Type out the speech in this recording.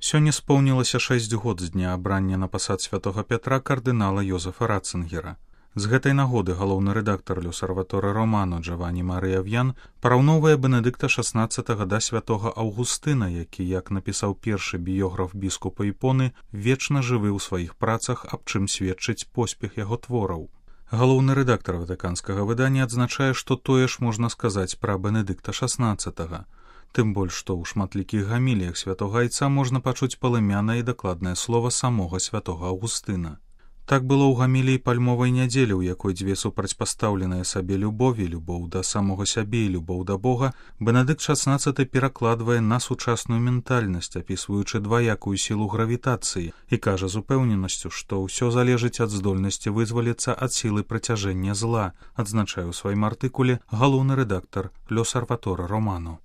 Сёння споўнілася 6 год з дня абрання на пасад святога Пятра кардынала Йозефа Ратцынгера. З гэтай нагоды галоўны рэдактар L'Osservatore Romano Джавані Марыя В'ян параўноўвае Бенедыкта XVI да святога Аўгустына, які, як напісаў першы біёграф біскупа Іпоны, вечна жывы ў сваіх працах, аб чым сведчыць поспех яго твораў. Галоўны рэдактар ватыканскага выдання адзначае, што тое ж можна сказаць пра Бенедыкта XVI. Тым больш, што ў шматлікіх гаміліях святога айца можна пачуць палымянае і дакладнае слова самога святога Аўгустына. Так было ў гаміліі пальмовай нядзелі, у якой дзве супрацьпастаўленыя сабе любові, любоў да самога сябе і любоў да Бога, Бенедыкт XVI перакладвае на сучасную ментальнасць, апісваючы дваякую сілу гравітацыі, і кажа з упэўненасцю, што ўсё залежыць ад здольнасці вызваліцца ад сілы прыцяжэння зла, адзначае ў сваім артыкуле галоўны рэдактар L'Osservatore Romano.